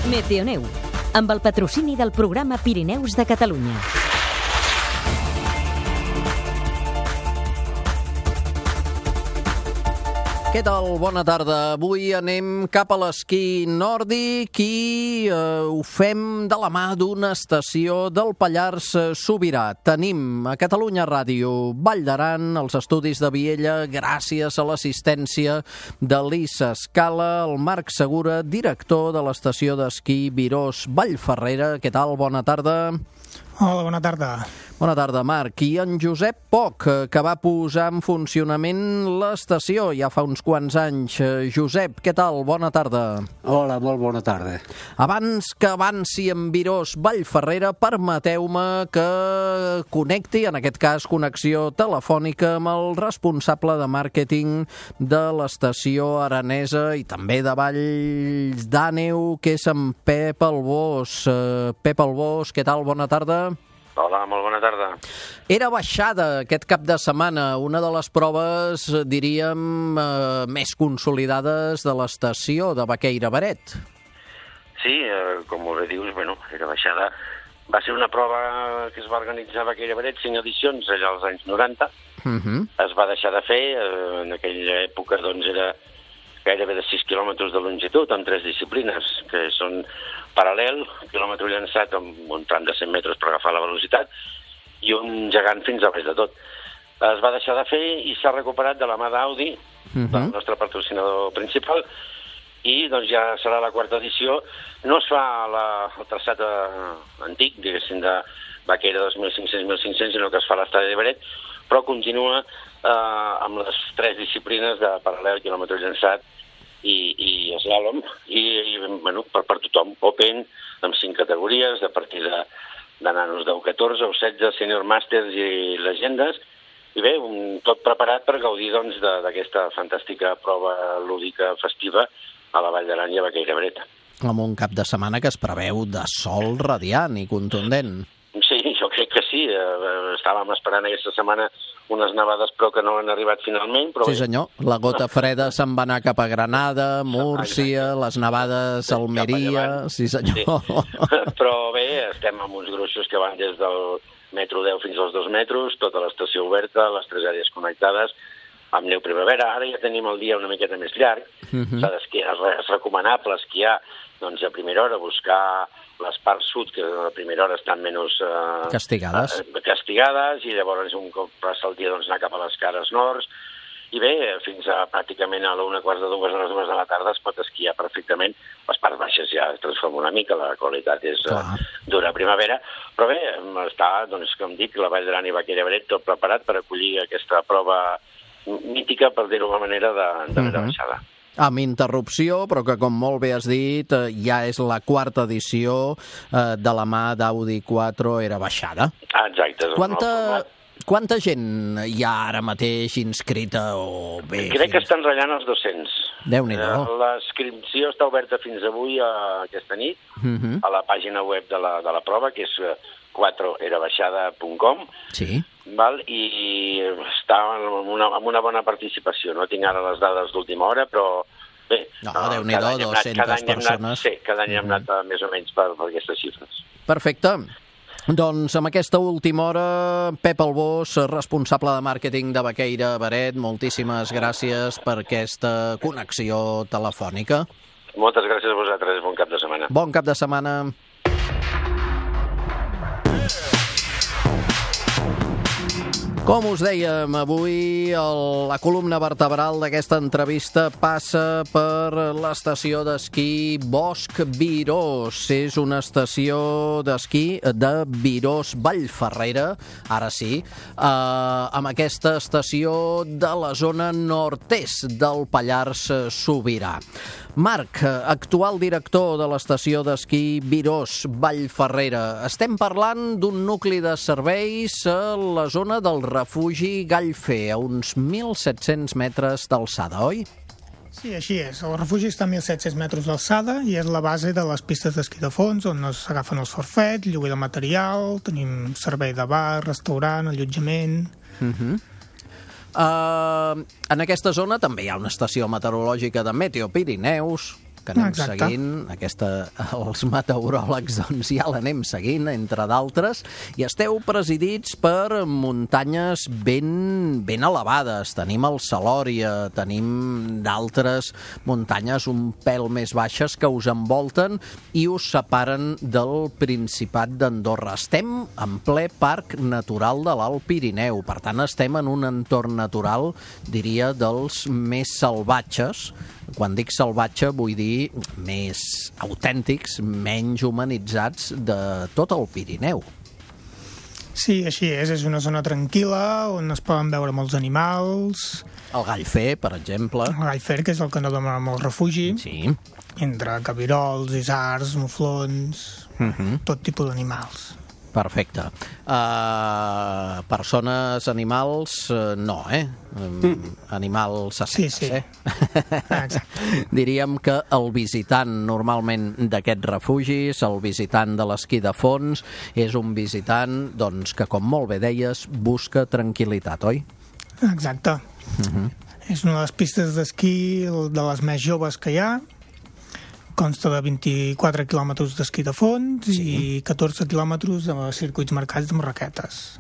Meteoneu, amb el patrocini del programa Pirineus de Catalunya. Què tal? Bona tarda. Avui anem cap a l'esquí nòrdic i ho fem de la mà d'una estació del Pallars Sobirà. Tenim a Catalunya Ràdio Vall d'Aran, els estudis de Viella, gràcies a l'assistència de l'Issa Escala, el Marc Segura, director de l'estació d'esquí Virós Vallferrera. Què tal? Bona tarda. Hola, bona tarda. Bona tarda, Marc. I en Josep Poch, que va posar en funcionament l'estació ja fa uns quants anys. Josep, què tal? Bona tarda. Hola, molt bona tarda. Abans que avanci en Virós Vallferrera, permeteu-me que connecti, en aquest cas connexió telefònica, amb el responsable de màrqueting de l'estació aranesa i també de Valls d'Àneu, que és en Pep Albós. Pep Albós, què tal? Bona tarda. Hola, molt bona tarda. Era baixada aquest cap de setmana, una de les proves, diríem, més consolidades de l'estació de Baqueira-Beret. Sí, com molt bé dius, era baixada. Va ser una prova que es va organitzar a Baqueira-Beret, 5 edicions, allà als anys 90. Es va deixar de fer, en aquella època era gairebé de 6 quilòmetres de longitud, amb 3 disciplines, que són paral·lel, quilòmetre llançat amb un tram de 100 metres per agafar la velocitat, i un gegant fins a baix de tot. Es va deixar de fer i s'ha recuperat de la mà d'Audi, del nostre patrocinador principal, i ja serà la 4ª edició. No es fa el traçat antic, diguéssim, de Baqueira 2.500-1.500, sinó que es fa a l'estadi de Beret, però continua amb les 3 disciplines de paral·lel, quilòmetre llançat i slalom, i per tothom, Open, amb 5 categories, a partir de nanos de U14, U16, Senior Masters i Legendes, i bé, tot preparat per gaudir d'aquesta fantàstica prova lúdica festiva a la Vall d'Aran i a Baqueira-Bret. Amb un cap de setmana que es preveu de sol radiant i contundent. Sí, jo crec que sí. Estàvem esperant aquesta setmana unes nevades, però que no han arribat finalment. Però sí, senyor. La gota freda se'n va anar cap a Granada, Múrcia, les nevades a Almeria... Sí, senyor. Sí. Però bé, estem amb uns gruixos que van des del metro 10 fins als 2 metres, tota l'estació oberta, les 3 àrees connectades, amb neu primavera. Ara ja tenim el dia una miqueta més llarg. S'ha d'esquiar, és recomanable esquiar a primera hora, buscar les parts sud, que a primera hora estan menys castigades, i llavors un cop passa el dia anar cap a les cares nords, i bé, fins a pràcticament a la 1:15, a les 2 de la tarda es pot esquiar perfectament. Les parts baixes ja es transforma una mica, la qualitat és d'una primavera, però bé, està, com dic, la Vall d'Aran i Baqueira-Beret tot preparat per acollir aquesta prova mítica, per dir-ho d'una manera, de baixada. Amb interrupció, però que, com molt bé has dit, ja és la 4ª edició de la mà d'Audi 4 era baixada. Exacte. Quanta gent hi ha ara mateix inscrita? Crec que estan ratllant els 200. Déu-n'hi-do. L'inscripció està oberta fins avui, aquesta nit, a la pàgina web de la prova, que és 4erabaixada.com. Sí. I està amb una bona participació. No tinc ara les dades d'última hora, però bé... Déu-n'hi-do, 200 persones. Sí, cada any hem anat més o menys per aquestes xifres. Perfecte. Doncs amb aquesta última hora, Pep Albós, responsable de màrqueting de Baqueira-Beret, moltíssimes gràcies per aquesta connexió telefònica. Moltes gràcies a vosaltres, bon cap de setmana. Bon cap de setmana. Com us dèiem, avui la columna vertebral d'aquesta entrevista passa per l'estació d'esquí Bosc Virós. És una estació d'esquí de Virós Vallferrera, ara sí, amb aquesta estació de la zona nord-est del Pallars Sobirà. Marc, actual director de l'estació d'esquí Virós Vallferrera. Estem parlant d'un nucli de serveis a la zona del refugi Gallfer, a uns 1.700 metres d'alçada, oi? Sí, així és. El refugi està a 1.700 metres d'alçada i és la base de les pistes d'esquí de fons, on s'agafen els forfets, lloguer de material, tenim servei de bar, restaurant, allotjament... En aquesta zona també hi ha una estació meteorològica de Meteo Pirineus. que anem seguint. Els meteoròlegs doncs, ja l'anem seguint, entre d'altres, i esteu presidits per muntanyes ben elevades. Tenim el Salòria, tenim d'altres muntanyes un pèl més baixes que us envolten i us separen del Principat d'Andorra. Estem en ple Parc Natural de l'Alt Pirineu, per tant estem en un entorn natural, diria, dels més salvatges. Quan dic salvatge vull dir més autèntics, menys humanitzats de tot el Pirineu. Sí, així és una zona tranquil·la on es poden veure molts animals. El gall fer, per exemple. El gall fer, que és el que no dona molt refugi. Sí. Entre cabirols, isards, muflons, tot tipus d'animals. Perfecte. Persones, animals, no, Animals assecs, sí. Exacte. Diríem que el visitant normalment d'aquests refugis, el visitant de l'esquí de fons, és un visitant doncs, que, com molt bé deies, busca tranquil·litat, oi? Exacte. És una de les pistes d'esquí de les més joves que hi ha. Consta de 24 quilòmetres d'esquí de fons i 14 quilòmetres de circuits marcats amb raquetes.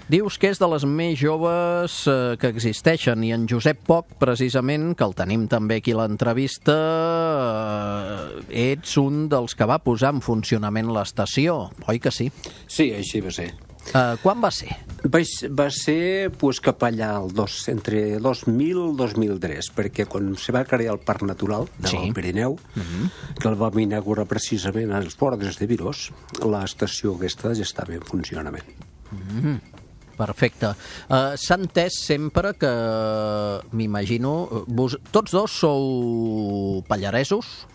Dius que és de les més joves que existeixen, i en Josep Poch, precisament, que el tenim també aquí a l'entrevista, ets un dels que va posar en funcionament l'estació, oi que sí? Sí, així va ser. Quan va ser? Va ser cap allà entre 2000 i 2003, perquè quan se va crear el Parc Natural del Pirineu, que el vam inaugurar precisament als bordes de Virós, l'estació aquesta ja estava en funcionament. Perfecte. S'ha entès sempre que, m'imagino, tots dos sou pallaresos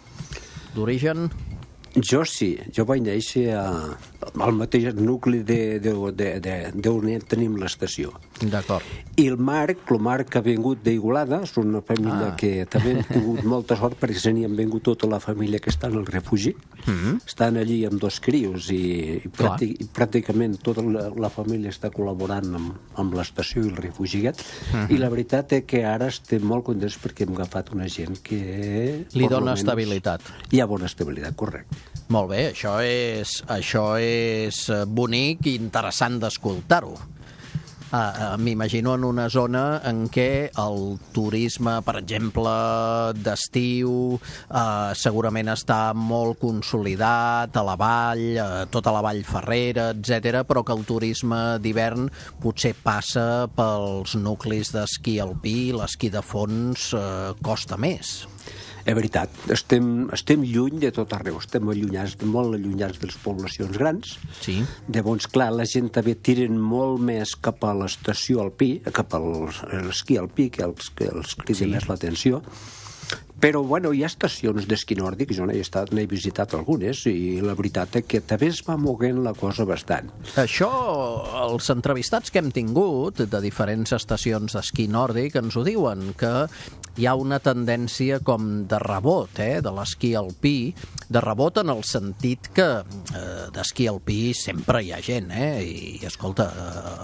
d'origen? Jo sí, jo vaig néixer al mateix nucli d'on tenim l'estació. D'acord. I el Marc ha vingut d'Igualada, és una família que també hem tingut molta sort perquè se n'hi han vingut tota la família que està en el refugi. Estan allí amb 2 crios i pràcticament tota la família està col·laborant amb l'estació i el refugi aquest. I la veritat és que ara estem molt contents perquè hem agafat una gent que... Li dona estabilitat. Hi ha bona estabilitat, correcte. Molt bé, això és bonic i interessant d'escoltar-ho. M'imagino en una zona en què el turisme, per exemple, d'estiu, segurament està molt consolidat a la vall, tota la vall Ferrera, etc., però que el turisme d'hivern potser passa pels nuclis d'esquí alpí, l'esquí de fons costa més. És veritat, estem lluny de tot arreu, estem molt allunyats de les poblacions grans. Sí. Llavors, clar, la gent també tiren molt més cap a l'estació alpí, cap a l'esquí alpí, que els crida més l'atenció. Però, bueno, hi ha estacions d'esquí nòrdic, jo n'he visitat algunes, i la veritat és que també es va moguent la cosa bastant. Això, els entrevistats que hem tingut de diferents estacions d'esquí nòrdic ens ho diuen, que hi ha una tendència com de rebot, de l'esquí alpí, de rebot en el sentit que d'esquí alpí sempre hi ha gent, i escolta,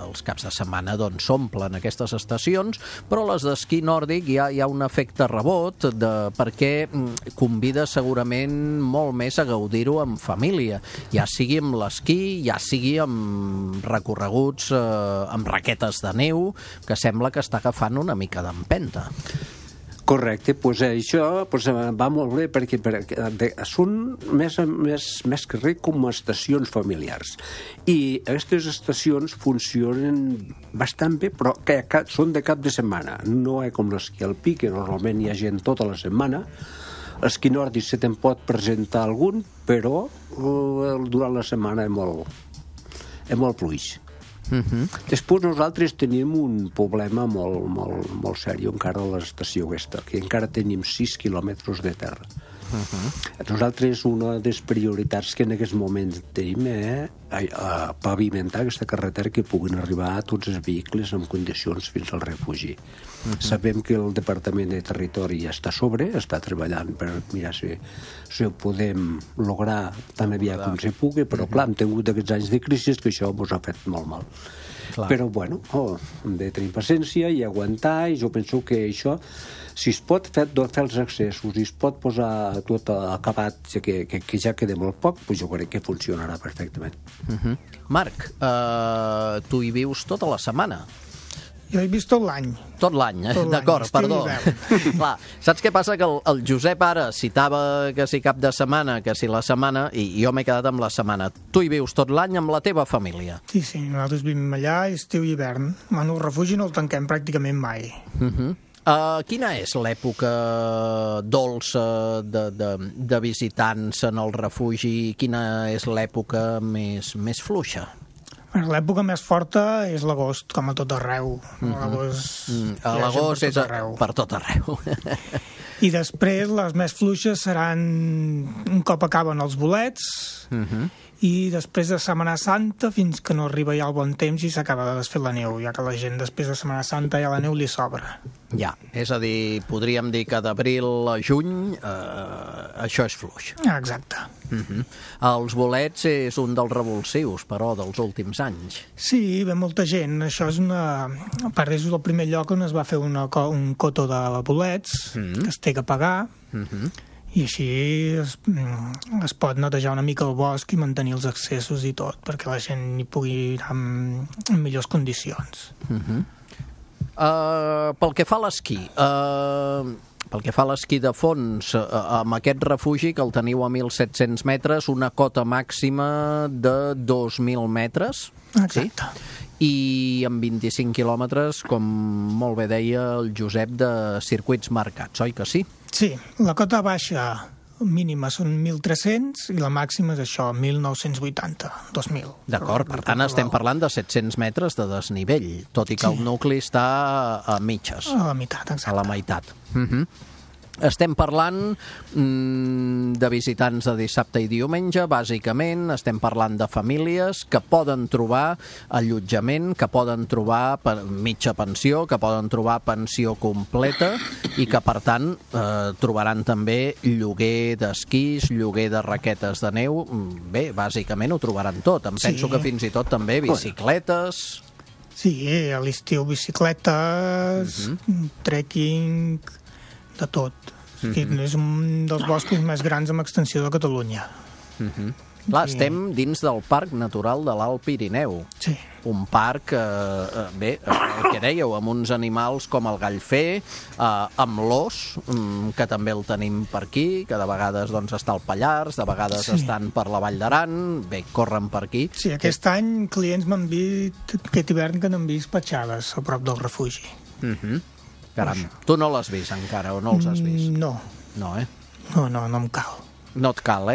els caps de setmana doncs s'omplen aquestes estacions, però les d'esquí nòrdic hi ha un efecte rebot perquè convida segurament molt més a gaudir-ho en família, ja sigui amb l'esquí, ja sigui amb recorreguts amb raquetes de neu, que sembla que està agafant una mica d'empenta. Correcte, doncs això va molt bé perquè són més que res com estacions familiars. I aquestes estacions funcionen bastant bé, però són de cap de setmana. No és com l'esquí alpí, que normalment hi ha gent tota la setmana. L'esquí nòrdic se te'n pot presentar algun, però durant la setmana és molt fluix. Després nosaltres tenim un problema molt seriós encara a l'estació aquesta, que encara tenim 6 quilòmetres de terra. Nosaltres una de les prioritats que en aquests moments tenim és pavimentar aquesta carretera que puguin arribar tots els vehicles en condicions fins al refugi. Sabem que el Departament de Territori ja està a sobre, està treballant per mirar si ho podem lograr tan aviat com se pugui, però clar, hem tingut aquests anys de crisi que això ens ha fet molt mal. Clar. Però bueno, hem de tenir paciència i aguantar, i jo penso que això, si es pot fer els accessos i es pot posar tot acabat, que ja queda molt poc, doncs jo crec que funcionarà perfectament. Marc, tu hi vius tota la setmana? Jo he vist tot l'any. Tot l'any, d'acord, perdó. Clar, saps què passa? Que el Josep ara citava que si cap de setmana, que si la setmana, i jo m'he quedat amb la setmana. Tu hi vius tot l'any amb la teva família? Sí, nosaltres vivim allà, estiu i hivern. El refugi no el tanquem pràcticament mai. Quina és l'època dolça de visitants en el refugi? Quina és l'època més fluixa? L'època més forta és l'agost, com a tot arreu. L'agost és per tot arreu. I després les més fluixes seran un cop acaben els bolets i després de Setmana Santa fins que no arriba ja el bon temps i s'acaba de desfer la neu, ja que la gent després de Setmana Santa ja la neu li sobra. Ja, és a dir, podríem dir que d'abril a juny això és fluix. Exacte. Els bolets és un dels revulsius, però, dels últims anys. Sí, ve molta gent. Això és a part, és el primer lloc on es va fer un cotó de bolets que es té que pagar i així es pot netejar una mica el bosc i mantenir els accessos i tot, perquè la gent hi pugui anar en millors condicions. Pel que fa a l'esquí, de fons, amb aquest refugi, que el teniu a 1.700 metres, una cota màxima de 2.000 metres. Exacte. I amb 25 quilòmetres, com molt bé deia el Josep, de circuits marcats, oi que sí? Sí, la cota baixa mínima són 1.300 i la màxima és això, 1.980, 2.000. D'acord, per tant estem parlant de 700 metres de desnivell, tot i que el nucli està a mitges. A la meitat, exacte. A la meitat. Estem parlant de visitants de dissabte i diumenge, bàsicament. Estem parlant de famílies que poden trobar allotjament, que poden trobar mitja pensió, que poden trobar pensió completa i que, per tant, trobaran també lloguer d'esquís, lloguer de raquetes de neu. Bé, bàsicament ho trobaran tot. Em penso que fins i tot també bicicletes. Sí, a l'estiu bicicletes, trekking, de tot. És un dels boscos més grans amb extensió de Catalunya. Clar, estem dins del Parc Natural de l'Alt Pirineu. Sí. Un parc, bé, el que dèieu, amb uns animals com el gallfer, amb l'ós, que també el tenim per aquí, que de vegades està al Pallars, de vegades estan per la Vall d'Aran, bé, corren per aquí. Sí, aquest any clients m'han dit, aquest hivern, que n'han vist petjades a prop del refugi. Caram, tu no l'has vist encara, o no els has vist? No. No, No em cal. No et cal,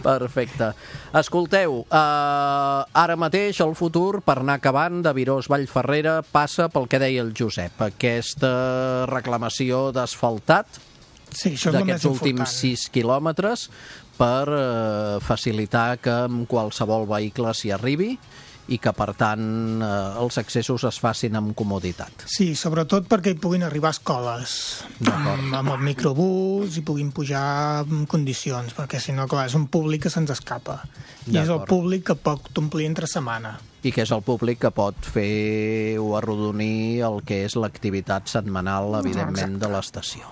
Perfecte. Escolteu, ara mateix el futur, per anar acabant, de Virós-Vallferrera passa pel que deia el Josep, aquesta reclamació d'asfaltat d'aquests últims 6 quilòmetres per facilitar que amb qualsevol vehicle s'hi arribi i que, per tant, els accessos es facin amb comoditat. Sí, sobretot perquè hi puguin arribar escoles amb el microbús i puguin pujar en condicions, perquè si no, clar, és un públic que se'ns escapa. I és el públic que pot omplir entre setmana. I que és el públic que pot fer o arrodonir el que és l'activitat setmanal, evidentment, de l'estació.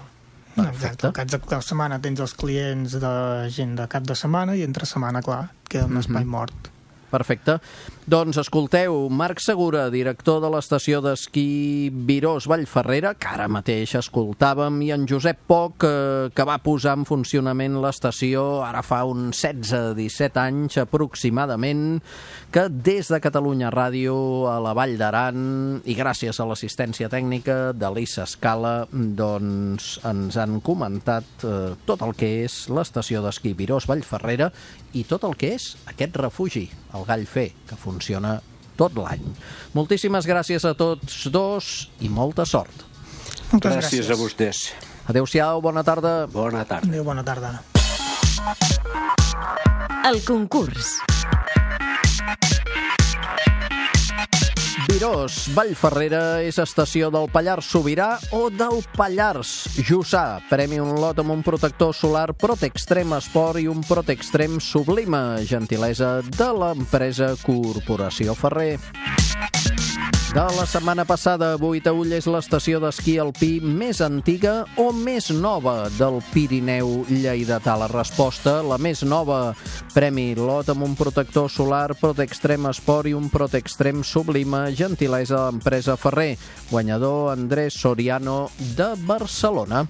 Exacte. Al cap de setmana tens els clients de gent de cap de setmana i entre setmana, clar, queda un espai mort. Perfecte. Doncs escolteu, Marc Segura, director de l'estació d'esquí Virós-Vallferrera, que ara mateix escoltàvem, i en Josep Poch, que va posar en funcionament l'estació ara fa uns 16-17 anys aproximadament, que des de Catalunya Ràdio a la Vall d'Aran, i gràcies a l'assistència tècnica de l'Issa Escala, doncs ens han comentat tot el que és l'estació d'esquí Virós-Vallferrera i tot el que és aquest refugi, el Gallfer, que funciona tot l'any. Moltíssimes gràcies a tots dos i molta sort. Moltes gràcies a vostès. Adéu-siau, bona tarda. Bona tarda. Adéu, bona tarda. El concurs. Virós, Vallferrera és estació del Pallars Sobirà o del Pallars Jussà. Premi un lot amb un protector solar Protextrem Esport i un Protextrem Sublima, gentilesa de l'empresa Corporació Ferrer. De la setmana passada, Boitaüll és l'estació d'esquí alpí més antiga o més nova del Pirineu lleidatà. La resposta, la més nova. Premi lot amb un protector solar Protextrem Esport i un Protextrem Sublima, gentilesa de l'empresa Ferrer. Guanyador Andrés Soriano de Barcelona.